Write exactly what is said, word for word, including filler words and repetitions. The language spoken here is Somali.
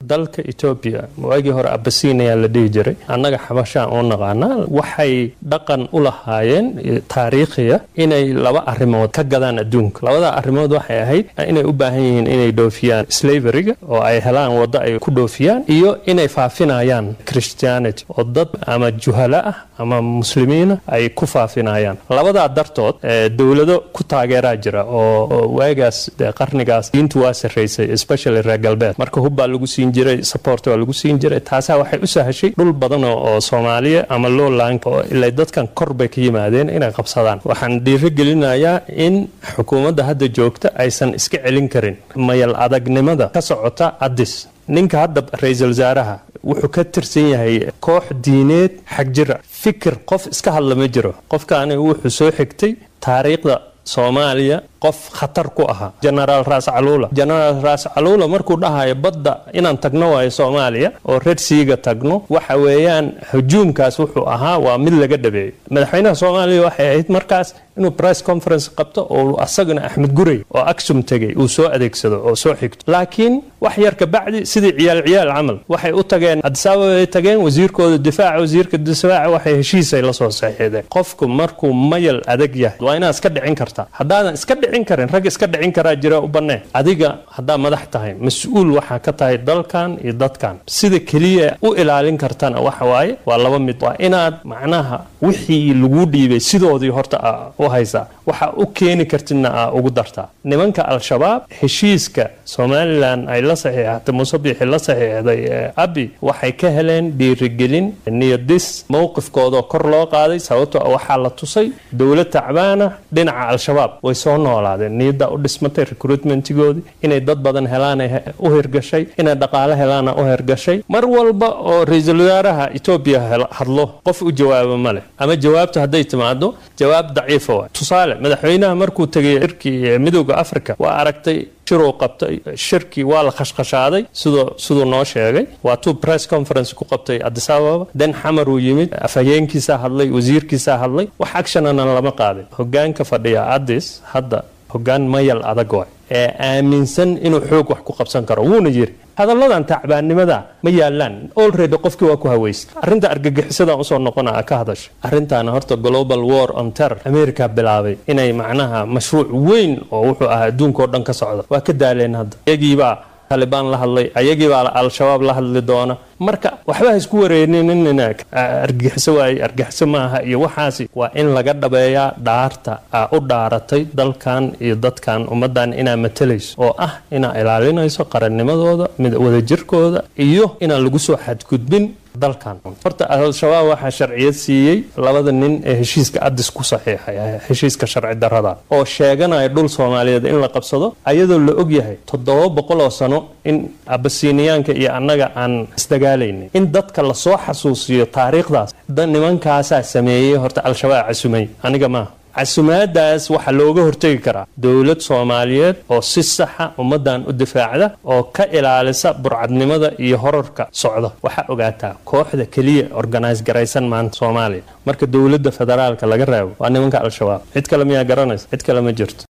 Dalka Etoobiya, waagii hore Abasinia la dhihi jiray, annaga Xabashaan oo naqaanaa, waxay dhaqan u lahaayeen taariikhiya inay laba arrimood ka gadaan adduunka. Labada arrimood waxay ahayd inay u baahan yihiin inay dhoofiyaan slaveryga oo ay helaan waddo ay ku dhoofiyaan, iyo inay faafinayaan Christianity oo dad ama juhala ah ama Muslimiina ay ku faafinayaan. Labadaa dartood dowlado ku taageeraa jira oo waagaas qarnigaas diintu waa sarraysay, especially reer galbeed. Marka hub baa lagu siin jiray, support waa lagu siin jiray. Taasaa waxay u sahashay dhul badan oo Soomaaliya ama lowland oo ilaa dadkan kor bay ka yimaadeen inay qabsadaan. Waxaan dhiiro gelinayaa in xukuumadda hadda joogta aysan iska celin karin mayal adagnimada ka socota Addis. Ninka hadda ra-iisul wasaaraha wuxuu ka tirsan yahay koox diineed xagjira. Fikir qof iska hadla ma jiro. Qofkaani wuxuu soo xigtay taariikhda Soomaaliya, qof khatar ku ahaa, Genaraal Raas Caluula. Genaraal Raas Caluula markuu dhahayo badda inaan tagno waayo Soomaaliya oo Red Seaga tagno, waxa weeyaan hujuumkaas wuxuu ahaa waa mid laga dhabeeyey. Madaxweynaha Soomaaliya waxay ahayd markaas inuu press conference qabto oo asagana Axmed Gurey oo Aksum tegey uu soo adeegsado oo soo xigto. Laakiin wax yar ka bacdi, sidii ciyaal ciyaal camal, waxay u tageen Addis Ababa ay tageen wasiirkooda difaaca, wasiirka difaaca waxay heshiisay la soo saxiixdeen. Qofku markuu mayal adag yahay waa inaad iska dhicin kartaa. Haddaadan iska dhicin karin, rag iska dhicin karaa jira, u bannee. Adiga haddaa madax tahay, mas-uul waxaa ka tahay dalkan iyo dadkan. Sida keliya u ilaalin kartana waxa waaye waa laba mid: waa inaad macnaha wixii lagu dhiibay sidoodii horta u haysaa, waxa u keeni kartidna aa ugu dartaa. Nimanka Al-Shabaab heshiiska Somaliland ay la saxiixatay, Muuse Biixi la saxiixday Abi, waxay ka heleen dhiirigelin, niyadis, mowqifkoodoo kor loo qaaday, sababtoo waxaa la tusay dowlad tacbaana dhinaca Al-Shabaab. Way soo noolaadeen, niyaddaa u dhismatay, recruitmentigoodii inay dad badan helaan u hirgashay, inay dhaqaale helaana u hirgashay. Mar walba oo ra-iisul wasaaraha Etoobiya hadlo, qof u jawaabo ma leh, ama jawaabtu hadday timaado jawaab daciifa waay. Tusaale, madaxweynaha markuu tegay shirkii Midooda Africa, waa aragtay shiruu qabtay, shirkii waa la khashkhashaaday siduu siduu noo sheegay. Waa tuu press conference ku qabtay Addis Ababa, den Xamar uu yimid, afhayeenkiisaa hadlay, wasiirkiisaa hadlay, wax actionana lama qaadin. Hogaanka fadhiya Addis hadda hogaan mayal adag waay ee aaminsan inuu xoog wax ku qabsan karo. Wuuna yiri hadalladan tacbaannimada ma yaalaan, already qofkii waa ku haweystay. Arrinta argagixisadan usoo noqona ka hadasha arrintaana, horta global war on terror America bilaabay inay macnaha mashruuc weyn oo wuxuu ahaa adduunka oo dhan ka socda. Waa ka daaleen hadda, iyagiibaa Talibaan la hadlay, ayagiibaa Al-Shabaab la hadli doona. Marka waxba ha isku wareerinina, argagixiso waaye, argagixiso maaha iyo waxaasi. Waa in laga dhabeeyaa dhaarta aa u dhaaratay dalkan iyo dadkan, ummaddan inaa matalayso, oo ah inaa ilaalinayso qarannimadooda, wadajirkooda iyo inaan lagu soo xadgudbin dalkan. Horta Al-Shabaab waxaa sharciyad siiyey labada nin ee heshiiska Addis ku saxiixay, heshiiska sharci darada oo sheeganaya dhul Soomaaliyeed in la qabsado, ayadoo la ogyahay toddoba boqol oo sano in Abasiniyaanka iyo annaga aan isdagaalaynay. In dadka lasoo xasuusiyo taariikhdaas nimankaasaa sameeyey. Horta Al-Shabaab casumay, aniga maaha. Casumaadaas waxaa looga hortegi karaa dowlad Soomaaliyeed oo si saxa ummaddan u difaacda oo ka ilaalisa burcadnimada iyo horarka socda. Waxaa ogaataa kooxda keliya organise garaysan maanta Soomaaliya marka dowladda federaalka laga reebo waa nimanka Al-Shabaab. Cid kale miyaa garanaysa? Cid kale ma jirto.